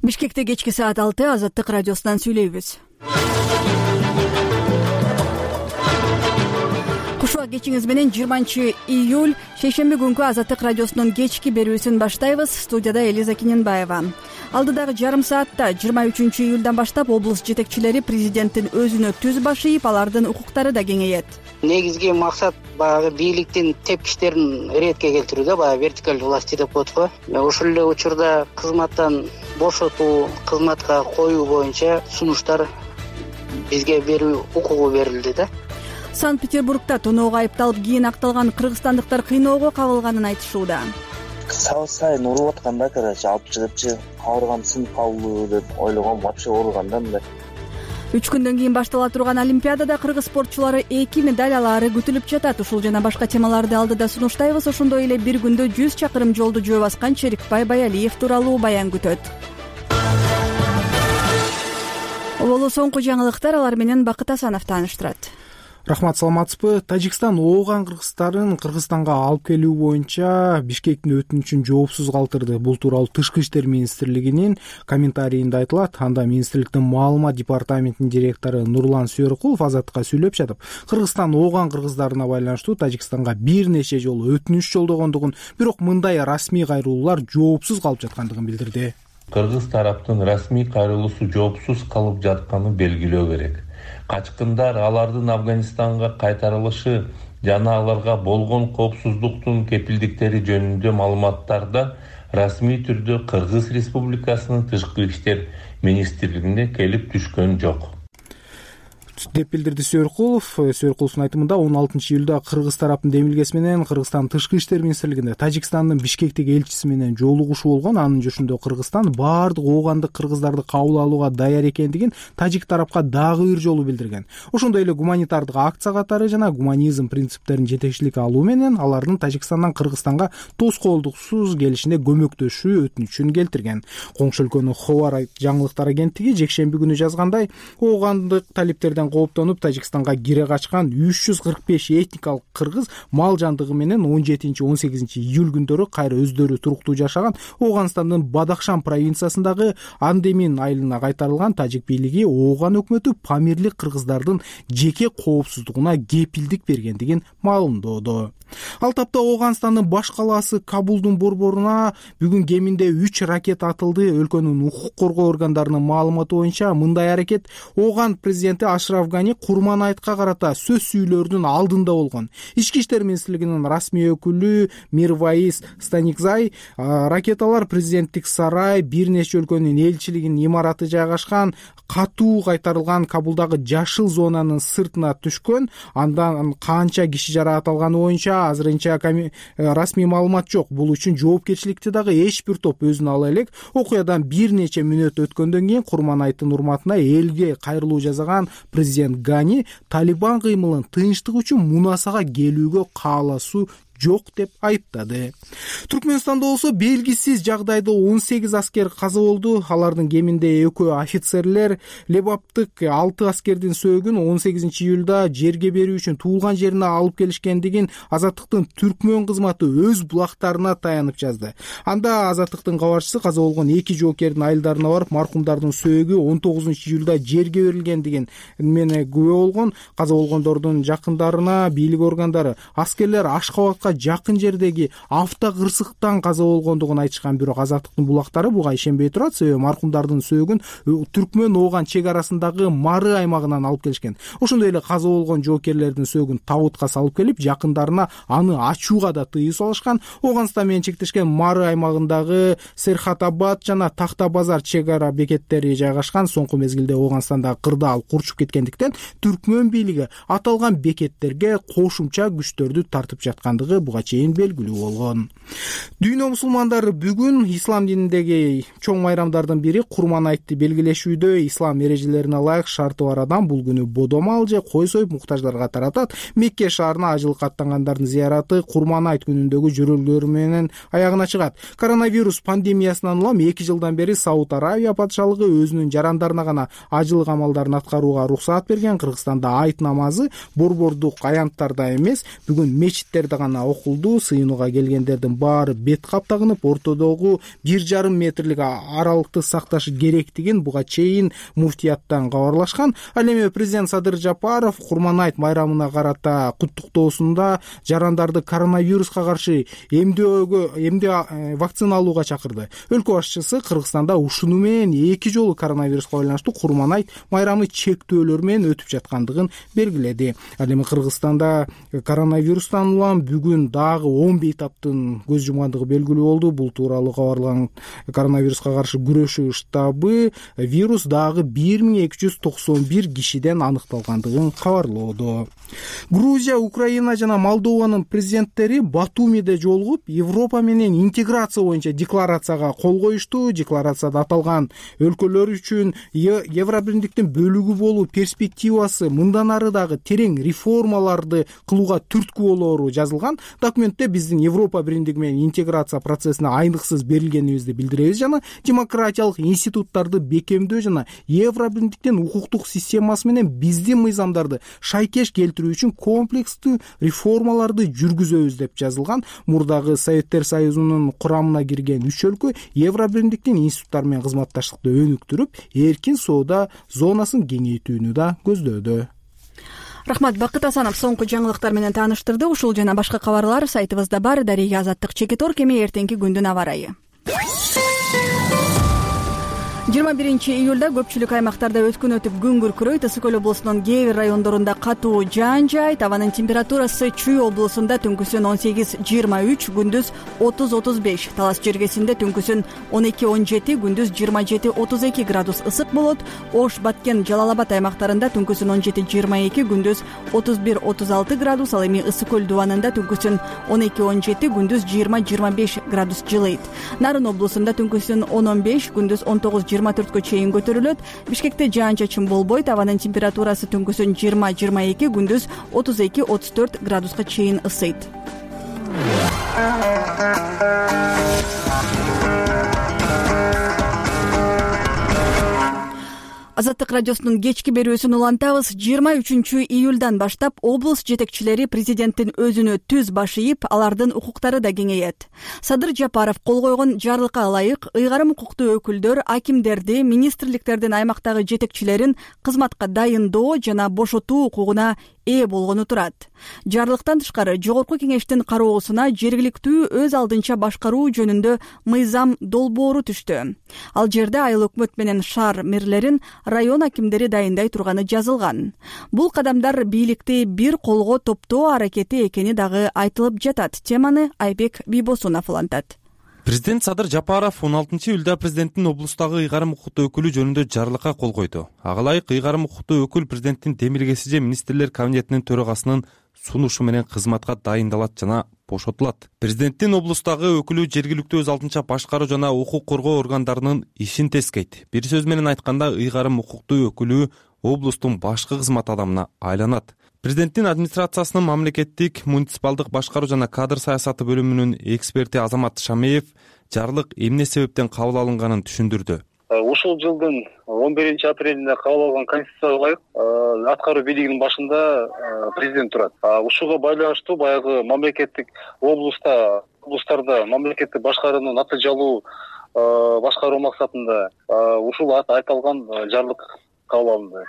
Бишкекте кечки саат 6 Азаттык радиосунан сүйлөйбүз. Кушубак кечиңиз менен 20-июль шейшемби күнкү Азаттык радиосунун кечки берүүсүн баштайбыз. Студияда Элиза Киненбаева. Алдыдагы жарым саатта 23-июльдан баштап облус жетекчилери президенттин өзүнө түз баш ийип, алардын укуктары да кеңейет. Негизги максат баягы бийликтин тепкичтерин иретке келтирүү да, баягы вертикаль власти деп коет го. Ошол эле учурда кызматтан бошотуу, кызматка коюу боюнча сунуштар бизге берүү укугу берилди да. Санкт-Петербургда тоноого айыпталып кийин акталган кыргызстандыктар кыйноого кабылганын айтышууда. Сабак сайын уруп атканда, алып чыгыпчы, кабыргам сынып калды деп ойлогом, вообще ооруган да мындай. 3 күндөн кийин баштала турган Олимпиадада кыргыз спортчулары 2 медаль алаары күтүлүп жатат. Ушул жана башка темаларды алдыда сунуштайбыз. Ошондой эле бир күндө 100 чакырым жолду жөө баскан Черикбай Баялиев тууралуу баян күтөт. Боло соңку жаңылыктар, алар менен Бакыт Асанов тааныштырат. Рахмат, саламатсызбы? Тажикстан ооган кыргыздарын Кыргызстанга алып келүү боюнча Бишкектин өтүнүчүн жоопсуз калтырды. Бул тууралуу Тышкы иштер министрлигинин комментарийинде айтылат. Анда министрликтин маалымат департаментинин директору Нурлан Сүйөркулов Азаттыкка сүйлөп жатып, Кыргызстан ооган кыргыздарына байланыштуу Тажикстанга бир нече жолу өтүнүч жолдогондугун, бирок мындай расмий кайрылуулар жоопсуз калып жаткандыгын билдирди. Кыргыз тараптын расмий кайрылуусу жоопсуз калып жатканын белгилөө керек. Качкындар алардын Афганистанга кайтарылышы жана аларга болгон коопсуздуктун кепилдиктери жөнүндө маалыматтарда расмий түрдө Кыргыз Республикасынын Тышкы иштер министрлигине келип түшкөн жок деп билдирди Сүйөркулов. Сүйөркуловдун айтымында 16-июлда Кыргыз тараптын демилгеси менен Кыргызстан Тышкы иштер министрлигинде Тажикстандын Бишкектеги элчиси менен жолугушуу болгон. Анын жошунда Кыргызстан баардык оогандык кыргыздарды кабыл алууга даяр экендигин тажик тарапка дагы бир жолу билдирген. Ошондой эле гуманитардык акция катары жана гуманизм принциптерин жетекчиликке алуу менен алардын Тажикстандан Кыргызстанга тоскоолдуксуз келишине көмөктөшүү өтүнүчүн келтирген. Коңшу өлкөнүн Ховар жаңылыктар агенттиги жекшемби күнү жазгандай, оогандык талиптерден кооптонуп Тажикстанга кире качкан 345 этникалык кыргыз мал жандыгы менен 17-18 июль күндөрү кайра өздөрү туруктуу жашаган Ооганстандын Бадахшан провинциясындагы Андемин айылына кайтарылган. Тажик бийлиги ооган өкмөтү Памирлик кыргыздардын жеке коопсуздугуна кепилдик бергендигин маалымдоодо. Ал тапта Ооганстандын баш калаасы Кабулдун борборуна бүгүн кеминде 3 ракета атылды. Өлкөнүн укук коргоо органдарынын маалыматы боюнча мындай аракет Ооган президенти Ашраф Гани Курман айтка карата сөз сүйлөөрүнүн алдында болгон. Ички иштер министрлигинин расмий өкүлү Мирваис Станикзай ракеталар президенттик сарай, бир нече өлкөнүн элчилигинин имараты жайгашкан катуу кайтарылган Кабулдагы жашыл зонанын сыртына түшкөн. Андан канча киши жаракат алганы боюнча азырынча расмий маалымат жок. Бул үчүн жоопкерчиликти дагы эч бир топ өзүнө ала элек. Окуядан бир нече мүнөт өткөндөн кийин Курманайттын урматына элге кайрылуу жасаган президент Гани Талибан кыймылын тынчтык үчүн Мунасага келүүгө кааласуу жок деп айыптады. Түркмөнстанда болсо белгисиз жагдайда 18 аскер каза болду. Алардын кеминде 2 офицерлер Лебаптык 6 аскердин сөөгүн 18 июлда жерге берүү үчүн туулган жерине алып келишкендигин Азаттыктын түркмөн кызматы өз булактарына таянып жазды. Анда Азаттыктын кабарчысы каза болгон 2 жоокердин айылдарына барып, маркумдардын сөөгү 19 июлда жерге берилгендигин менен күбө болгон. Каза болгондордун жакындарына бийлик органдары аскерлер Ашкабадка жакын жердеги автокырсыктан каза болгондугун айтышкан, бирок Азаттыктын булактары буга ишенбей турат. Себеби маркумдардын сөөгүн Түркмөн Ооган чек арасындагы Мары аймагынан алып келишкен. Ошондой эле каза болгон жоокерлердин сөөгүн табутка салып келип, жакындарына аны ачууга да тыюу салышкан. Ооганстан менен чектешкен Мары аймагындагы Серхатабад жана Такта базар чек ара бекеттери жайгашкан. Соңку мезгилде Ооганстанда кырдаал курчуп кеткендиктен Түркмөн бийлиги аталган бекеттерге кошумча күчтөрдү тартып жаткандыгы буга чейин белгилүү болгон. Дүйнө мусулмандары бүгүн ислам дининдеги чоң майрамдардын бири Курман айтты белгилешүүдө. Ислам эрежелерине ылайык шарты бар адам бул күнү бодомал же кой союп муктаждарга таратат. Мекке шаарына ажылыкка аттангандардын зыяраты Курман айт күнүндөгү жөрөлгөлөр менен аягына чыгат. Коронавирус пандемиясынан улам 2 жылдан бери Сауд Аравия патшалыгы өзүнүн жарандарына гана ажылык амалдарын аткарууга уруксаат берген. Кыргызстанда айт намазы борбордук аянттарда эмес, бүгүн мечиттерде гана окулду. Сыйынууга келгендердин баары бет каптагынып, ортодогу 1,5 метрлик аралыкты сакташы керектигин буга чейин муфтияттан кабарлашкан. Ал эми президент Садыр Жапаров Курманайт майрамына карата куттуктоосунда жарандарды коронавируска каршы эмдөө вакцина алууга чакырды. Өлкө башчысы Кыргызстанда ушуну менен 2 жолу коронавируска байланыштуу Курманайт майрамы чектөөлөр менен өтүп жаткандыгын белгиледи. Ал эми Кыргызстанда коронавирустан улам бүгүн дагы 10 бейтаптын көз жумгандыгы белгилүү болду. Бул тууралуу кабарлаган коронавируска каршы күрөшүү штабы вирус дагы 1291 кишиден аныкталгандыгын кабарлоодо. Грузия, Украина жана Молдованын президенттери Батумиде жолугуп, Европа менен интеграция боюнча декларацияга кол коюшту. Декларацияда аталган өлкөлөр үчүн Евробиримдиктин бөлүгү болуу перспективасы мындан ары дагы терең реформаларды кылууга түрткү болоору жазылган. Документте биздин Европа биримдиги менен интеграция процессине айныксыз берилгенибизди билдиребиз жана демократиялык институттарды бекемдөө жана Евробиримдиктин укуктук системасы менен биздин мыйзамдарды шайкеш келтирүү үчүн комплекстүү реформаларды жүргүзөбүз деп жазылган. Мурдагы Советтер Союзунун курамына кирген 3 өлкө Евробиримдиктин институттары менен кызматташтыкты өнүктүрүп, эркин соода зонасын кеңейтүүнү да көздөөдө. Рахмат, Бакыт Асанов соңку жаңылыктар менен тааныштырды. Ушул жана башка кабарлар сайтыбызда бар. Дарыга Азаттык Чекиторг. Эми эртеңки күндүн аба ырайы. 21-июлда көпчүлүк аймактарда өткөн күн күркүрөйт. Ысык Көл облусунун кээ бир райондорунда катуу жаан жаайт. Абанын температурасы Чүй облусунда түнкүсүн 18-23, күндүз 30-35. Талас жергесинде түнкүсүн 12-17, күндүз 27-32 градус ысык болот. Ош, Баткен, Жалал-Абад аймактарында түнкүсүн 17-22, күндүз 31-36 градус. Ал эми Ысык Көл дубанында түнкүсүн 12-17, күндүз 20-25 градус жылыйт. Нарын облусунда түнкүсүн 10-15, күндүз 19-24 чейин көтөрүлөт. Бишкекте жаан-чачын болбойт. Абанын температурасы түнкүсүн 20-22, күндүз 32-34 градуска чейин ысыйт. Азаттык радиосунун кечки берүүсүн улантабыз. 23-июлдан баштап облус жетекчилери президенттин өзүнө түз баш ийип, алардын укуктары да кеңейет. Садыр Жапаров кол койгон жарлыкка ылайык ыйгарым укуктуу өкүлдөр акимдерди, министрликтердин аймактагы жетекчилерин кызматка дайындоо жана бошотуу укугуна ээ болгону турат. Жарлыктан тышкары жогорку кеңештин кароосуна жергиликтүү өз алдынча башкаруу жөнүндө мыйзам долбоору түштү. Ал жерде айыл өкмөт менен шаар мэрлерин район акимдери дайындай турганы жазылган. Бул кадамдар бийликти бир колго топтоо аракети экени дагы айтылып жатат. Теманы Айбек Бийбосунов улантат. Президент Садыр Жапаров 16-июлда президенттин облустагы ыйгарым укуктуу өкүлү жөнүндө жарлыкка кол койду. Ага ылайык ыйгарым укуктуу өкүл президенттин демилгеси же министрлер кабинетинин төрагасынын сунушу менен кызматка дайындалат жана бошотулат. Президенттин облустагы өкүлү жергиликтүү өз алдынча башкаруу жана укук коргоо органдарынын ишин тескейт. Бир сөз менен айтканда, ыйгарым укуктуу өкүлү облустун башкы кызмат адамына айланат. Президенттин администрациясынын мамлекеттик муниципалдык башкаруу жана кадр саясаты бөлүмүнүн эксперти Азамат Шамеев жарлык эмне себептен кабыл алынганын түшүндүрдү. Ушул жылдын 11-апрелинде кабыл алган конституцияга ылайык аткаруу бийлигинин башында президент турат. Ушуга байланыштуу баягы мамлекеттик облустарда мамлекеттик башкарууну натыйжалуу башкаруу максатында ушул айтылган жарлык кабыл алынды.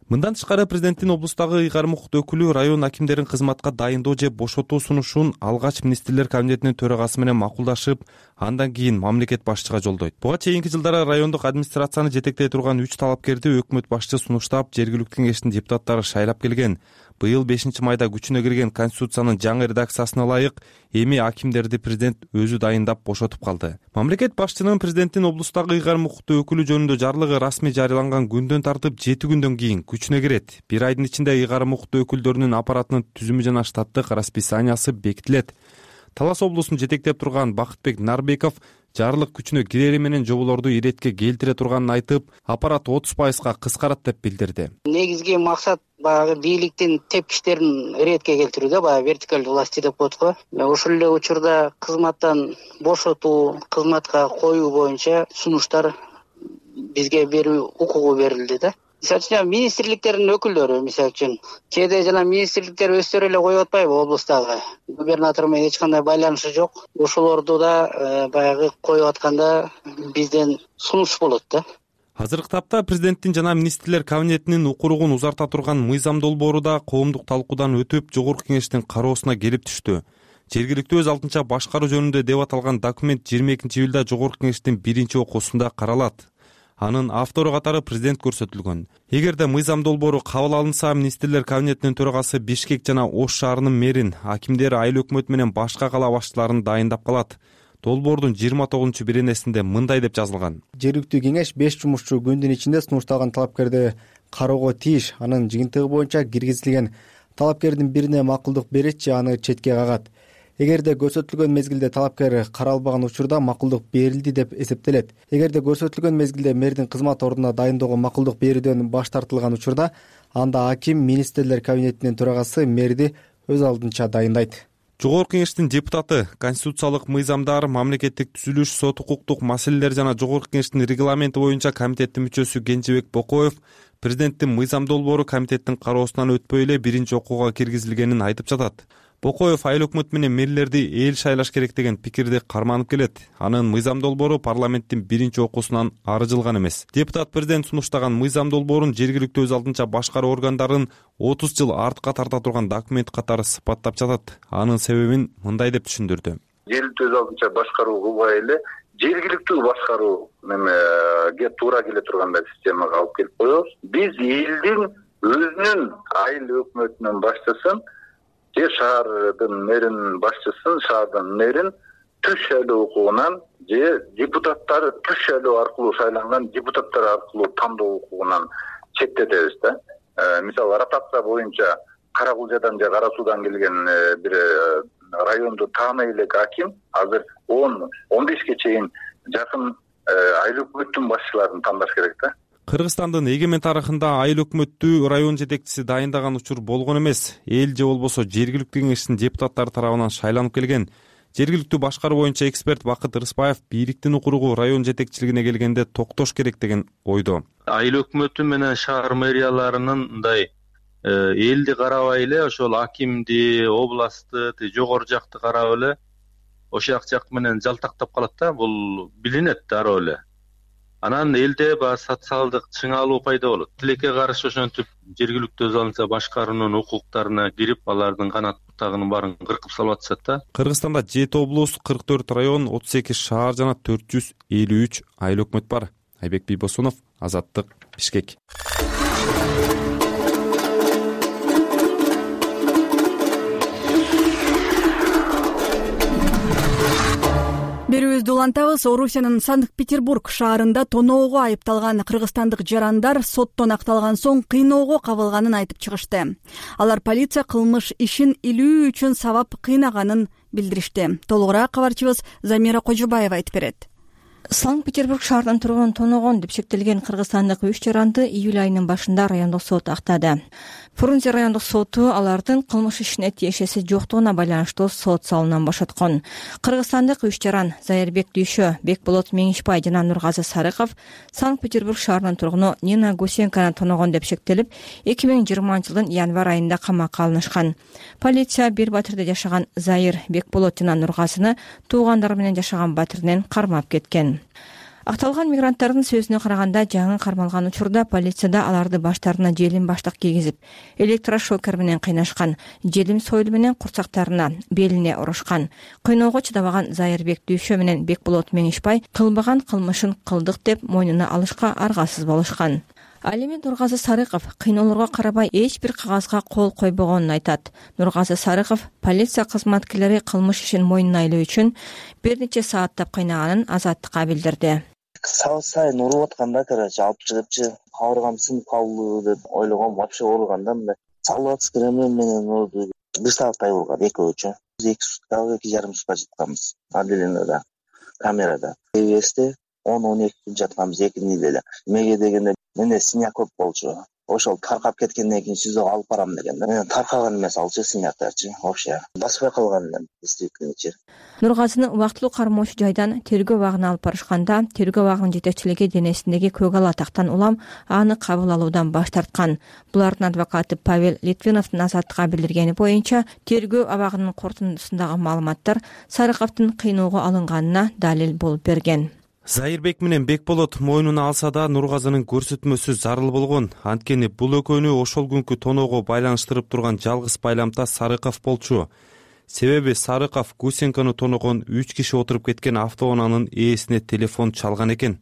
Мындан тышкары президенттин облустагы ыйгарым укуктуу өкүлү район акимдерин кызматка дайындоо же бошотуу сунушун алгач министрлер кабинетинин төрагасы менен макулдашып, андан кийин мамлекет башчыга жолдойт. Буга чейинки жылдары райондук администрацияны жетектей турган 3 талапкерди өкмөт башчы сунуштап, жергиликтүү кеңештин депутаттары шайлап келген. Быйыл 5-майда күчүнө кирген конституциянын жаңы редакциясына ылайык эми акимдерди президент өзү дайындап бошотуп калды. Мамлекет башчынын президенттин облустагы ыйгарым укуктуу өкүлү жөнүндө жарлыгы расмий жарыяланган күндөн тартып 7 күндөн кийин күчүнө кирет. Бир айдын ичинде ыйгарым укуктуу өкүлдөрүнүн аппаратынын түзүмү жана штаттык расписаниясы бекитилет. Талас облусун жетектеп турган Бакытбек Нарбеков жарлык күчүнө кирери менен жоболорду иретке келтире турганын айтып, аппарат 30%га кыскарат деп билдирди. Негизги максат баягы бийликтин тепкичтерин иретке келтирүү да, баягы вертикалдуу власти деп коет го. Ошол эле учурда кызматтан бошотуу, кызматка коюу боюнча сунуштар бизге берүү укугу берилди да. Мисалы үчүн министрликтердин өкүлдөрү, мисалы үчүн кээде жана министрликтер өздөрү эле коюп атпайбы облустагы губернатор менен эч кандай байланышы жок. Ошолорду да баягы коюп атканда бизден сунуш болот да. Азыркы тапта президенттин жана министрлер кабинетинин укуругун узарта турган мыйзам долбоору да коомдук талкуудан өтүп жогорку кеңештин кароосуна келип түштү. Жергиликтүү өз алдынча башкаруу жөнүндө деп аталган документ 22-июлда жогорку кеңештин биринчи окуусунда каралат. Анын автору катары президент көрсөтүлгөн. Эгерде мыйзам долбоору кабыл алынса, министрлер кабинетинин төрагасы Бишкек жана Ош шаарынын мэрин, акимдер айыл өкмөтү менен башка кала башчыларын дайындап калат. Долбоордун 29-беренесинде мындай деп жазылган: жергиликтүү кеңеш 5 жумушчу күндүн ичинде сунушталган талапкерди кароого тийиш. Анын жыйынтыгы боюнча киргизилген талапкердин бирине макулдук берет же аны четке кагат. Эгерде көрсөтүлгөн мезгилде талапкер каралбаган учурда макулдук берилди деп эсептелет. Эгерде көрсөтүлгөн мезгилде мэрдин кызмат ордуна дайындоого макулдук берүүдөн баш тартылган учурда, анда аким министрлер кабинетинин төрагасы мэрди өз алдынча дайындайт. Жогорку кеңештин депутаты, конституциялык мыйзамдар, мамлекеттик түзүлүш, сот укуктук маселелер жана жогорку кеңештин регламенти боюнча комитеттин мүчөсү Кенжебек Бокоев президенттин мыйзам долбоору комитеттин кароосунан өтпөй эле биринчи окууга киргизилгенин айтып жатат. Бокоев айыл өкмөт менен мэрлерди эл шайлаш керек деген пикирди карманып келет. Анын мыйзам долбоору парламенттин биринчи окуусунан ары жылган эмес. Депутат президент сунуштаган мыйзам долбоорун жергиликтүү өз алдынча башкаруу органдарын 30 жыл артка тарта турган документ катары сыпаттап жатат. Анын себебин мындай деп түшүндүрдү. Жергиликтүү өз алдынча башкаруу кылбай эле жергиликтүү башкаруу немеге туура келе тургандай системага алып келип коебуз. Биз элдин өзүнүн айыл өкмөтүнүн башчысын же шаардын мэринин башчысын, шаардын мэрин түз шайлоо укугунан же депутаттар түз шайлоо аркылуу шайланган депутаттар аркылуу тандоо укугунан четтетебиз да. Мисалы ротация боюнча Кара Кулжадан же Кара Суудан келген бир районду тааный элек аким азыр 10-15ке чейин жакын айыл өкмөттүн башчыларын тандаш керек да. Кыргызстандын эгемен тарыхында айыл өкмөттү район жетекчиси дайындаган учур болгон эмес. Эл же болбосо жергиликтүү кеңештин депутаттары тарабынан шайланып келген. Жергиликтүү башкаруу боюнча эксперт Бакыт Рыспаев бийликтин укуругу район жетекчилигине келгенде токтош керек деген ойдо. Айыл өкмөтү менен шаар мэрияларынын мындай элди карабай эле ошол акимди, областты, жогору жакты карап эле ошол жак менен жалтактап калат да. Бул билинет дароо эле. Анан элде баягы социалдык чыңалуу пайда болот. Тилекке каршы ошентип жергиликтүү өз алдынча башкаруунун укуктарына кирип, алардын канат бутагынын баарын кыркып салып атышат да. Кыргызстанда 7 облус, 44 район, 38 шаар жана 453 айыл өкмөт бар. Айбек Бийбосунов, Азаттык, Бишкек. Берүүбүздү улантабыз. Орусиянын Санкт-Петербург шаарында тоноого айыпталган кыргызстандык жарандар соттон акталган соң кыйноого кабылганын айтып чыгышты. Алар полиция кылмыш ишин илүү үчүн сабап кыйнаганын билдиришти. Толугураак кабарчыбыз Замира Кожобаева айтып берет. Санкт-Петербург шаарынын тургунун тоноогон деп шектелген кыргызстандык 3 жаранды июль айынын башында райондук сот актады. Фрунзе райондук соту алардын кылмыш ишине тиешеси жоктугуна байланыштуу сот салуунан бошоткон. Кыргызстандык 3 жаран Зайырбек Дүйшө, Бекболот Меңишбай жана Нургазы Сарыков Санкт-Петербург шаарынын тургуну Нина Гусенканы тоноогон деп шектелип, 2020-жылдын январь айында камакка алынышкан. Полиция бир батирде жашаган Зайыр, Бекболот жана Нургазыны туугандары менен жашаган батиринен кармап кеткен. Акталган мигранттардын сөзүнө караганда, жаңы кармалган учурда полицияда аларды баштарына желим баштык кийгизип, электрошокер менен кыйнашкан, желим сойлу менен курсактарына, белине урушкан. Кыйноого чыдабаган Зайырбек Дүйшө менен Бекболот Меңишбай кылбаган кылмышын кылдык деп мойнуна алышка аргасыз болушкан. Ал эми Нургазы Сарыков кыйноолорго карабай эч бир кагазга кол койбогонун айтат. Нургазы Сарыков полиция кызматкерлери кылмыш ишин мойнуна илүү үчүн бир нече сааттап кыйнаганын Азаттыкка билдирди. Сабак сайын уруп атканда, алып чыгыпчы, кабыргам сынып калды деп ойлогом, вообще ооруганда мындай салат кремем менен урду. Бир сааттай болгон экөөчү. 2 сутка, 2,5 сутка жатканбыз. Отделениеда, камерада. ТВСте 10-12 күн жатканбыз экинде эле. Эмеге дегенде менде синяк көп болчу. ошол таркап кеткенден кийин СИЗОго алып барам деген да. Мен таркаган эмес алчы снятачы вообще баспай калган элем действительно. Нургазыны убактылуу кармоочу жайдан тергөө абагына алып барышканда тергөө абагынын жетекчилиги денесиндеги көк ала тактан улам аны кабыл алуудан баш тарткан. Булардын адвокаты Павел Литвиновдун Азаттыкка билдиргени боюнча тергөө абагынын корутундусундагы маалыматтар Сарыковдун кыйноого алынганына далил болуп берген. Зайырбек менен Бекболот мойнуна алса да Нургазынын көрсөтмөсү зарыл болгон. Анткени бул экөөнү ошол күнкү тоноого байланыштырып турган жалгыз байламта Сарыков болчу. Себеби Сарыков Гусенканы тоногон 3 киши отуруп кеткен автоунаанын ээсине телефон чалган экен.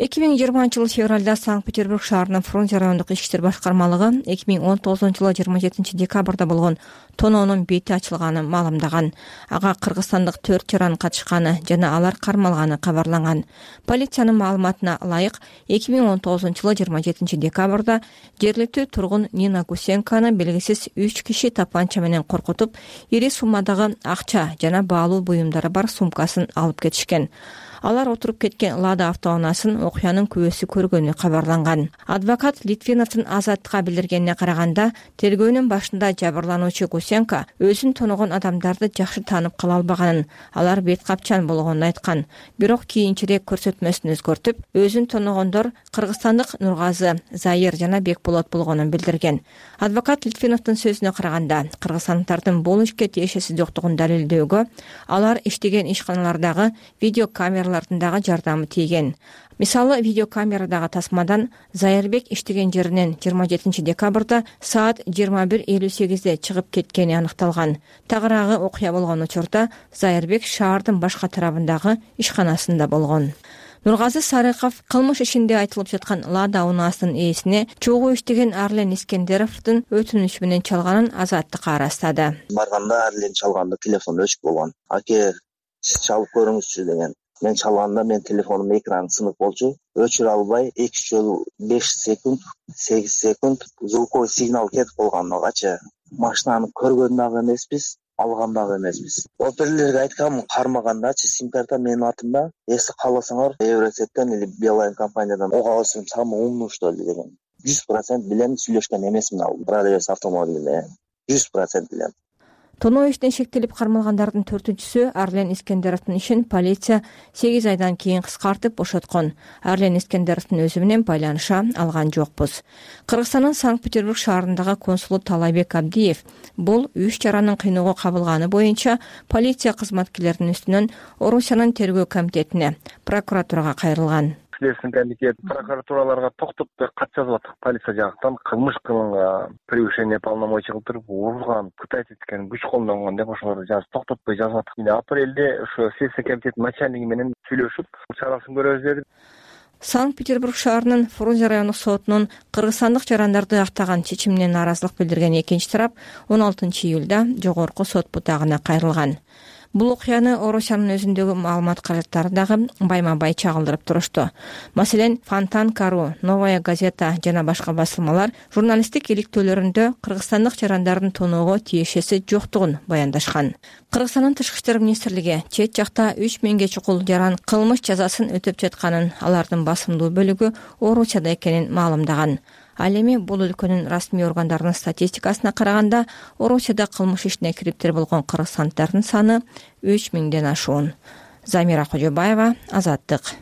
2020-жылы февралда Санкт-Петербург шаарынын Фрунзе райондук ички иштер башкармалыгы 2019-жылы 27 декабрда болгон тоноонун бети ачылганын маалымдаган. Ага кыргызстандык 4 жаран катышканы жана алар кармалганы кабарланган. Полициянын маалыматына ылайык 2019-жылы 27 декабрда жергиликтүү тургун Нина Гусенканы белгисиз 3 киши тапанча менен коркутуп, ири суммадагы акча жана баалуу буюмдары бар сумкасын алып кетишкен. Алар отуруп кеткен Лада автоунаасын окуянын күбөсү көргөнү кабарланган. Адвокат Литвиновдун Азаттыкка билдиргенине караганда, тергөөнүн башында жабырлануучу Гусенко өзүн тоногон адамдарды жакшы таанып кала албаганын, алар бет капчан болгонун айткан. Бирок кийинчерээк көрсөтмөсүн өзгөртүп, өзүн тоногондор кыргызстандык Нургазы, Зайыр жана Бекболот болгонун билдирген. Адвокат Литвиновдун сөзүнө караганда, кыргызстандыктардын бул ишке тиешеси жоктугун далилдөөгө алар иштеген ишканалардагы видеокамера жардамы тийген. Мисалы, видеокамерадагы тасмадан Зайырбек иштеген жеринен 27 декабрда саат 21:58 чыгып кеткени аныкталган. Тагыраагы окуя болгон учурда Зайырбек шаардын башка тарабындагы ишканасында болгон. Нургазы Сарыков кылмыш ишинде айтылып жаткан Лада унаасынын ээсине чогуу иштеген Арлен Искендеровдун өтүнүчү менен чалганын Азаттыкка арастады. Барганда Арлен чалганда телефон өчүп болгон. Аке, сиз чалып көрүңүзчү деген. Мен чалганда мен телефонумдун экраны сынып болчу. Өчүрө албай 2 жолу 5 секунд, 8 секунд звуковой сигнал кетип калганчы. Машинаны көргөн дагы эмеспиз, алган дагы эмеспиз. Оперлерге айткам, кармагандачы сим-карта менин атымда. Эси кааласаңар, Евросеттен или Билайн компаниядан ого алсам самый умный что ли деген. 100% билем сүйлөшкөн эмесмин ал. Продавец автомобилине 100% билем. Тоноо иштен шектелип кармалгандардын 4-чүсү Арлен Искендеровдун ишин полиция 8 айдан кийин кыскартып бошоткон. Арлен Искендеровдун өзү менен байланыша алган жокпуз. Кыргызстандын Санкт-Петербург шаарындагы консулу Талайбек Абдиев бул 3 жаранын кыйноого кабылганы боюнча полиция кызматкерлеринин үстүнөн Орусиянын тергөө комитетине, прокуратурага кайрылган. Следственный комитет прокуратураларга токтотпой кат жазып атат. Полиция жактан кылмыш кылынган, превышение полномочий кылдырып, урган, пытать эткен, күч колдонгон деп ошолорду токтотпой жазып атат. Апрелде ошо Следственный комитет начальниги менен сүйлөшүп, чарасын көрөбүз деди. Санкт-Петербург шаарынын Фрунзе райондук сотунун кыргызстандык жарандарды актаган чечимине нааразылык билдирген экинчи тарап 16 июлда жогорку сот бутагына кайрылган. Бул окуяны Орусиянын өзүндөгү маалымат каражаттары дагы байма-бай чагылдырып турушту. Маселен, Фонтан.ру, Новая газета жана башка басылмалар журналисттик иликтөөлөрүндө кыргызстандык жарандардын тоноого тиешеси жоктугун баяндашкан. Кыргызстандын тышкы иштер министрлиги чет жакта 3000ге чукул жаран кылмыш жазасын өтөп жатканын, алардын басымдуу бөлүгү Орусияда экенин маалымдаган. Ал эми бул өлкөнүн расмий органдарынын статистикасына караганда Орусияда кылмыш ишине кириптер болгон кыргызстандыктардын саны 3000ден ашуун. Замира Кожобаева, Азаттык.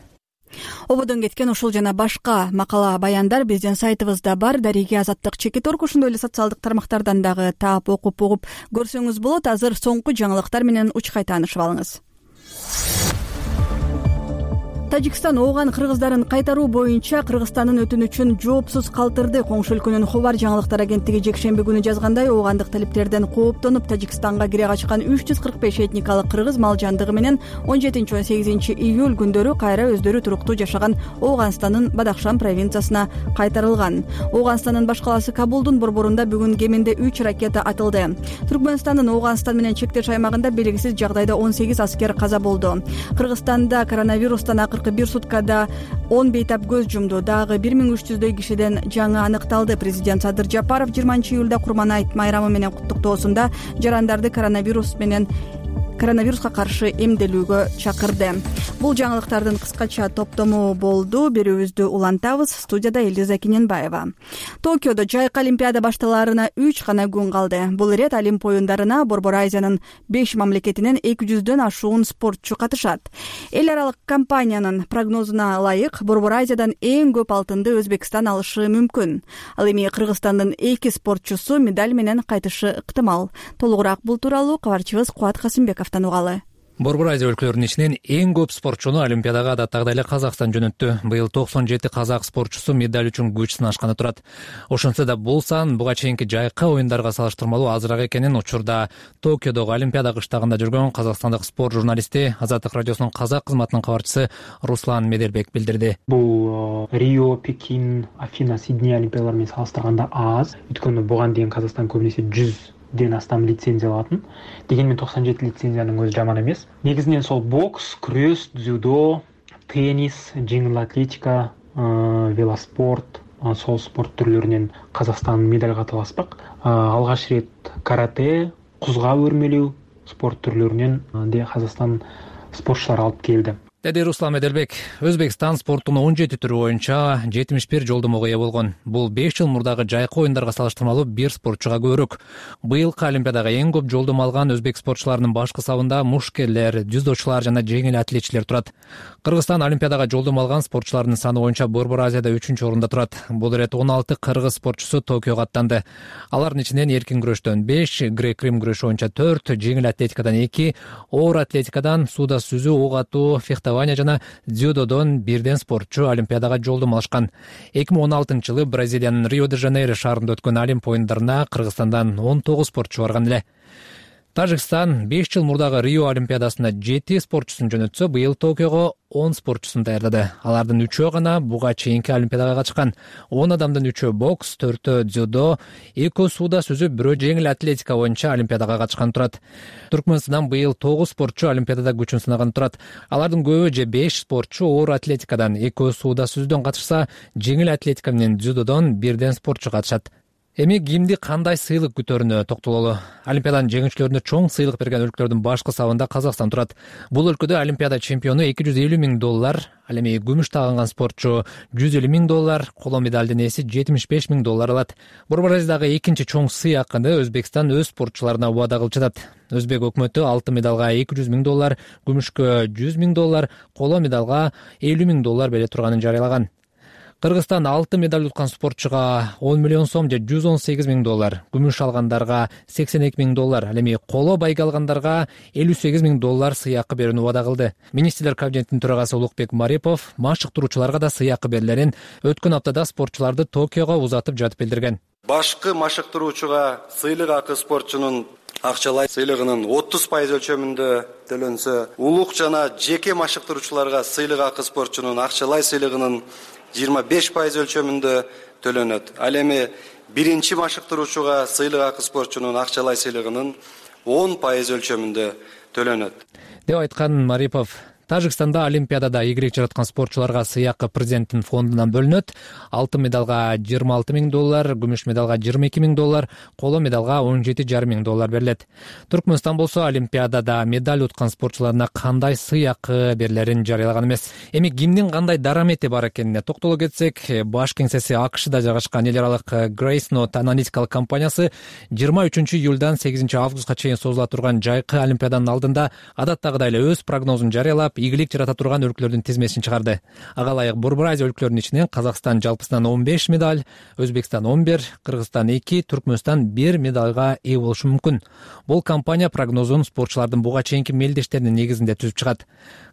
Ободон кеткен ушул жана башка макала баяндар биздин сайтыбызда бар. Дариги Азаттык чекит.орг, ошондой эле социалдык тармактардан дагы таап окуп көрсөңүз болот. Азыр соңку жаңылыктар менен учкай таанышып алыңыз. Тажикстан ооган кыргыздарын кайтаруу боюнча Кыргызстандын өтүнүчүн жоопсуз калтырды. Коңшу өлкөнүн Хобар жаңылыктар агенттиги жекшемби күнү жазгандай, оогандык талиптерден кооптонуп Тажикстанга кире качкан 345 этникалык кыргыз мал жандыгы менен 17-18 июль күндөрү кайра өздөрү туруктуу жашаган Ооганстандын Бадахшан провинциясына кайтарылган. Ооганстандын баш калаасы Кабулдун борборунда бүгүн кеминде 3 ракета атылды. Түркмөнстандын Ооганстан менен чектеш аймагында белгисиз жагдайда 18 аскер каза болду. Кыргызстанда коронавирустан 41 суткада 10 бейтап көз жумду. Дагы 1300дөй кишиден жаңы аныкталды. Президент Садыр Жапаров 20 июлда Курман айт майрамы менен куттуктоосунда жарандарды коронавирус коронавируска каршы эмделүүгө чакырды. Бул жаңылыктардын кыскача топтому болду. Берүүбүздү улантабыз. Студияда Элиза Киненбаева. Токиодо жайкы олимпиада башталаарына 3 гана күн калды. Бул ирет Олимп оюндарына Борбор Азиянын 5 мамлекетинен 200дөн ашуун спортчу катышат. Эл аралык компаниянын прогнозуна ылайык Борбор Азиядан эң көп алтынды Өзбекстан алышы мүмкүн. Ал эми Кыргызстандын 2 спортчусу медаль менен кайтышы ыктымал. Толугураак бул тууралуу кабарчыбыз Кубат Касымбековдон угалы. Борбор Азия өлкөлөрүнүн ичинен эң көп спортчуну Олимпиадага адаттагыдай эле Казакстан жөнөттү. Быйыл 97 казак спортчусу медаль үчүн күч сынашканы турат. Ошентсе да бул сан буга чейинки жайкы оюндарга салыштырмалуу азыраак экенин учурда Токиодогу Олимпиада кыштагында жүргөн казакстандык спорт журналисти Азаттык радиосунун казак кызматынын кабарчысы Руслан Меделбек билдирди. Бул Рио, Пекин, Афина, Сидней олимпиадалары менен салыштырганда аз. Өйткөнү буга дейин Казакстан көбүнесе 100ден астам лицензия алатын. Дегенмен 97 лицензиянын өзү жаман эмес. Негизинен сол бокс, күрөш, дзюдо, теннис, жеңил атлетика, велоспорт, сол спорт түрлөрүнөн Казакстан медаль катып алышпак. Алгач ирет карате, кузга өрмөлүү спорт түрлөрүнөн Казакстан спортчулары алып келди. Деди Руслан Меделбек. Өзбекстан спорттун 17 түрү боюнча 71 жолдомого ээ болгон. Бул 5 жыл мурдагы жайкы оюндарга салыштырмалуу бир спортчуга көбүрөөк. Быйылкы Олимпиадага эң көп жолдомо алган өзбек спортчуларынын башкы сабында мушкерлер, дзюдочулар жана жеңил атлетчилер турат. Кыргызстан Олимпиадага жолдомо алган спортчулардын саны боюнча Борбор Азияда 3-орунда турат. Бул ирет 16 кыргыз спортчусу Токиого аттанды. Алардын ичинен эркин күрөштөн 5, грек-рим күрөшү боюнча 4, жеңил атлетикадан 2, оор атлетикадан сууда сүзүү, ок атуу, жана дзюдодон бирден спортчу Олимпиадага жолдомо алышкан. 2016-жылы Бразилиянын Рио-де-Жанейро шаарында өткөн Олимп оюндарына Кыргызстандан 19 спортчу барган эле. Тажикстан 5 жыл мурдагы Рио олимпиадасына 7 спортчусун жөнөтсө, быйыл Токиого 10 спортчусун даярдады. Алардын 3-өө гана буга чейинки олимпиадага катышкан. 10 адамдын 3-өө бокс, 4-өө дзюдо, 2 сууда сүзүп, 1 жеңил атлетика боюнча олимпиадага катышкан турат. Түркмөнстандан быйыл 9 спортчу олимпиадада күчүн сынаган турат. Алардын көбү же 5 спортчу оор атлетикадан, 2 сууда сүзүүдөн катышса, жеңил атлетика менен дзюдодон бирден спортчу катышат. Эми кимди кандай сыйлык күтөрүнө токтололу. Олимпиаданын жеңүүчүлөрүнө чоң сыйлык берген өлкөлөрдүн башкы сабында Казакстан турат. Бул өлкөдө олимпиада чемпиону $250 000, ал эми күмүш тагынган спортчу $150 000, коло медалдын ээси $75 000 алат. Борбор Азиядагы экинчи чоң сыйакыны Өзбекстан өз спортчуларына убада кылып жатат. Өзбек өкмөтү алтын медалга $200 000, күмүшкө $100 000, коло медалга $50 000 бере турганын жарыялаган. Кыргызстан алтын медаль уткан спортчуга $10 миллион же $118 000, күмүш алгандарга $82 000, ал эми коло байга алгандарга $58 000 сыйакы берүүнү убада кылды. Министрлер кабинетинин төрагасы Улукбек Марипов машыктыруучуларга да сыйакы берилерин өткөн аптада спортчуларды Токиого узатып жатып билдирген. Башкы машыктыруучуга сыйлык акы спортчунун акчалай сыйлыгынын 30% өлчөмүндө төлөнсө, улук жана жеке машыктыруучуларга сыйлык акы спортчунун акчалай сыйлыгынын 25% өлчөмүндө төлөнөт. Ал эми биринчи машыктыруучуга сыйлык акы спортчунун акчалай сыйлыгынын 10% өлчөмүндө төлөнөт, деп айткан Марипов. Тажикстанда олимпиадада ийгилик жараткан спортчуларга сыйакы президенттин фондунан бөлүнөт. Алтын медалга $26 000, күмүш медалга $22 000, коло медалга $17,5 000 берилет. Түркмөнстан болсо олимпиадада медаль уткан спортчуларына кандай сыйакы берилерин жарыялаган эмес. Эми кимдин кандай дарамети бар экенине токтоло кетсек, баш кеңсеси АКШда жайгашкан эл аралык Gracenote аналитикалык компаниясы 23-июлдан 8-августка чейин созула турган жайкы олимпиаданын алдында адаттагыдай эле өз прогнозун жарыялап, ийгилик жарата турган өлкөлөрдүн тизмесин чыгарды. Ага ылайык Борбор Азия өлкөлөрүнүн ичинен Казакстан жалпысынан 15 медаль, Өзбекстан 11, Кыргызстан 2, Түркмөнстан 1 медальга ээ болушу мүмкүн. Бул компания прогнозун спортчулардын буга чейинки мелдештеринин негизинде түзүп чыгат.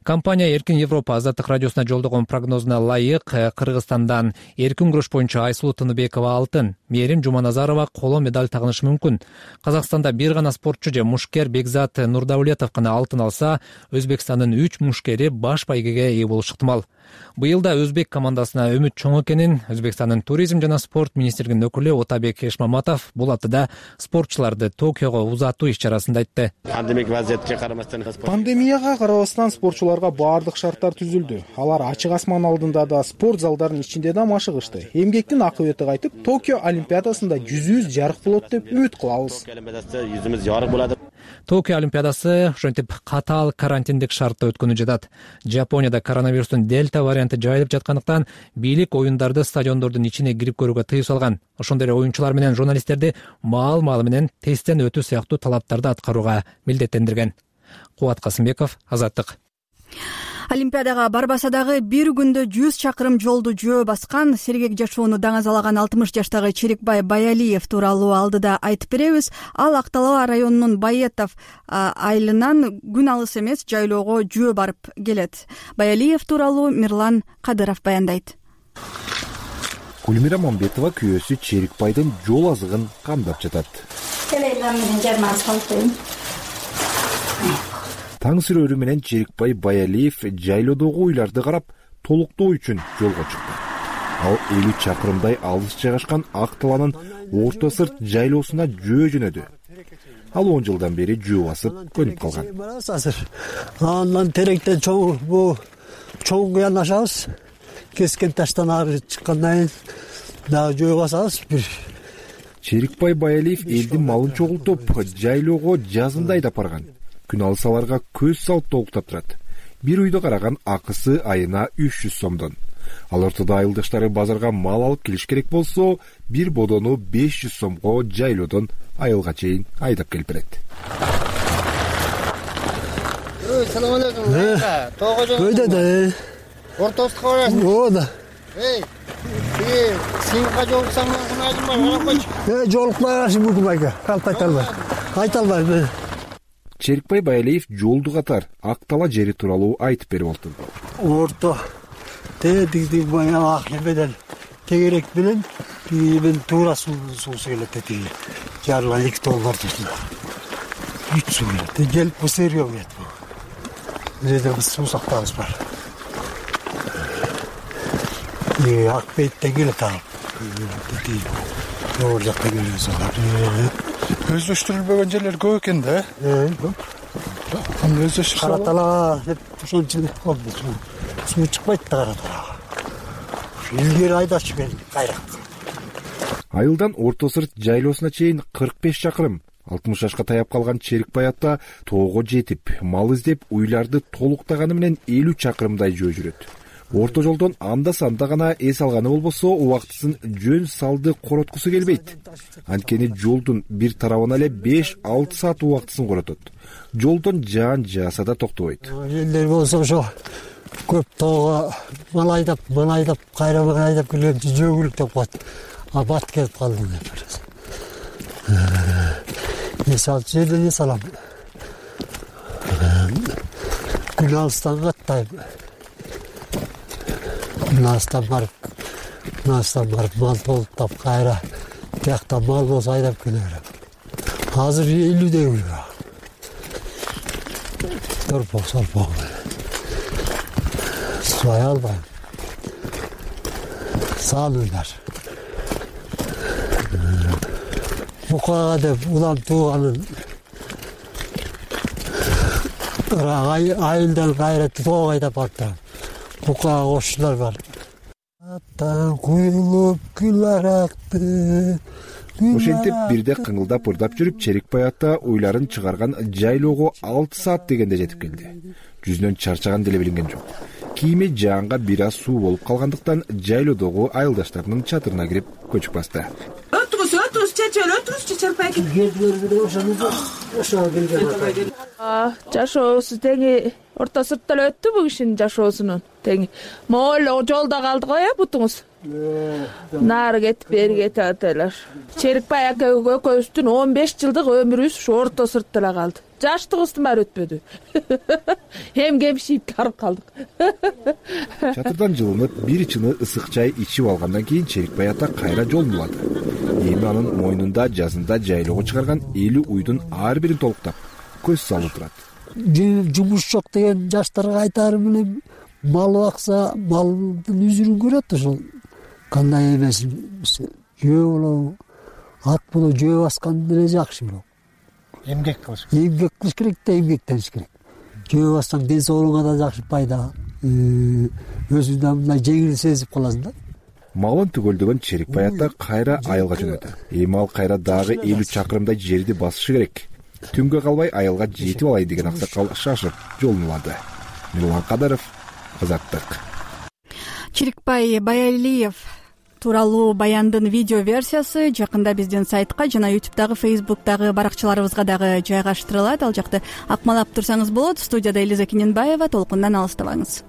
Компания Эркин Европа Азаттык радиосуна жолдогон прогнозуна ылайык Кыргызстандан эркин күрөш боюнча Айсулуу Тыныбекова алтын, Мээрим Жуманазарова коло медаль тагынышы мүмкүн. Казакстанда бир гана спортчу же мушкер Бекзат Нурдаулетов гана алтын алса, Өзбекстандын 3 мушкери баш байгеге ээ болушу ыктымал. Быйыл да өзбек командасына үмүт чоң экенин Өзбекстандын туризм жана спорт министрлигинин өкүлү Отабек Эшмаматов бул аптада спортчуларды Токиого узатуу иш-чарасында айтты. Пандемияга карабастан спортчулар ойынчуларга баардык шарттар түзүлдү. Алар ачык асман алдында да, спорт залдарынын ичинде да машыгышты. Эмгектин акыбети кайтып, Токио Олимпиадасында жүзүбүз жарык болот деп үмүт кылабыз. Жүзүбүз жарык болот. Токио Олимпиадасы ошентип катаал карантиндик шартта өткөнү жатат. Жапонияда коронавирустун дельта варианты жайылып жаткандыктан бийлик оюндарды стадиондордун ичине кирип көрүүгө тыюу салган. Ошондой эле оюнчулар менен журналисттерди маал-маалы менен тесттен өтүү сыяктуу талаптарды аткарууга милдеттендирген. Кубат Касымбеков, Азаттык. Олимпиадага барбаса дагы бир күндө 100 чакырым жолду жөө баскан, сергек жашоону даңазалаган 60 жаштагы Черикбай Баялиев тууралуу алдыда айтып беребиз. Ал Ак Талаа районунун Байетов айылынан күн алыс эмес жайлоого жөө барып келет. Баялиев тууралуу Мирлан Кадыров баяндайт. Гүлмира Мамбетова күйөөсү Черикбайдын жол азыгын камдап жатат. Таң сүрөрү менен Черикбай Баялиев жайлоодогу уйларды карап, толуктоо үчүн жолго чыкты. Ал 50 чакырымдай алыс жайгашкан Ак Талаанын орто сырт жайлоосуна жөө жөнөдү. Ал 10 жылдан бери жөө басып көнүп калган. Андан теректен чоң кыянашабыз. Кескен таштан ары чыккандан кийин дагы жөө басабыз. Черикбай Баялиев элдин малын чогултуп, жайлоого жазында айдап барган. Күн алсаларга көз салып толуктап турат. Бир үйдө караган акысы айына 300 сомдон. Ал ортодо айылдаштары базарга мал алып келиш керек болсо, бир бодону 500 сомго жайлоодон айылга чейин айдап келип берет. Салам алейкум. Өйдө. Ортосуга барасың? Оода. Сен жолуксаң айдым бар, жолукпай бүгүн айга. Калп айта албайм. Черикбай Баялиев жолду катар Ак Талаа жери тууралуу айтып берип олду. Орто тегиги баягы ак эмеден тегерек менен мен туура суусу келет деди. Жарылган 2 тонна турду. 3 суу келет. Келип бусерге келет. Жерде суу сактабыз бар. Ак беттен келет ал. Деди. Жол жакта келет. Өздөштүрүлбөгөн жерлер көп экен да. Өздөштүрүп Кара Талаа деп ошончу болду. Суу чыкпайт да Кара Талаага. Илгери айдачу мен кайрак. Айылдан орто сырт жайлоосуна чейин 45 чакырым. 60 жашка таяп калган Черикбай ата тоого жетип, мал издеп, уйларды толуктаганы менен 50 чакырымдай жөө жүрөт. Орто жолдон анда-санда гана эс алганы болбосо, убактысын жөн салды короткусу келбейт. Анткени жолдун бир тарабына эле 5-6 саат убактысын коротот. Жолдон жаан жааса да токтобойт. Элдер болсо ошо көп тоого мал айдап, кайра айдап келген жөө деп коет. Бат келип калды деп. Жерден салам. Күн алыстан каттайм. Настан барып мал толуктап кайра тиякта мал болсо айдап келе берем. Азыр 50дей торпок. Субай албайм. Салуулар. Букага деп улам тууганын айылдан кайра тоого айдап барып Бука кошчулар бар. Аттан куюлуп күл аракты. Ошентип бирде кыңылдап ырдап жүрүп, Черикбай ата уйларын чыгарган жайлоого 6 саат дегенде жетип келди. Жүзүнөн чарчаган деле билинген жок. Кийими жаанга бир аз суу болуп калгандыктан жайлоодогу айылдаштарынын чатырына кирип көчүп басты. Жашоосу теңи орто сыртта эле өттү бул кишинин жашоосунун теңи. Могу жолдо калды го бутуңуз. Нары кетип бери кетип аталар. Черикбай ака экөөбүздүн 15 жылдык өмүрүбүз ушу орто сыртта эле калды. Жаштыгыбыздын баары өтпөдү. Кемшип барып калдык. Чатырдан жылынып, бир чыны ысык чай ичип алгандан кийин Черикбай ата кайра жол булады. Эми анын мойнунда жазында жайлоого чыгарган 50 уйдун ар бирин толуктап, көз салып турат. Жумуш жок деген жаштарга айтарым эле мал бакса, малдын үзүрүн көрөт ошол. Кандай эмес, жөө болобу, ат болобу жөө баскан деле жакшы болот. Эмгек кылыш керек да эмгектениш керек. жөө бассаң ден соолугуңа да жакшы пайда, өзүңдү да мындай жеңил сезип каласың да. Малын түгөлдөгөн Черикбай ата кайра айылга жөнөдү. Эми ал кайра дагы 50 чакырымдай жерди басышы керек. Түнгө калбай айылга жетип алай деген аксакал шашып жолун улады. Мирлан Кадаров, Азаттык. Черикбай Баялиев тууралуу баяндын видео версиясы жакында биздин сайтка жана YouTube'дагы, Facebook'дагы баракчаларыбызга дагы жайгаштырылат. Ал жакты акмалап турсаңыз болот. Студияда Элиза Кененбаева. Толкундан алыстабаңыз.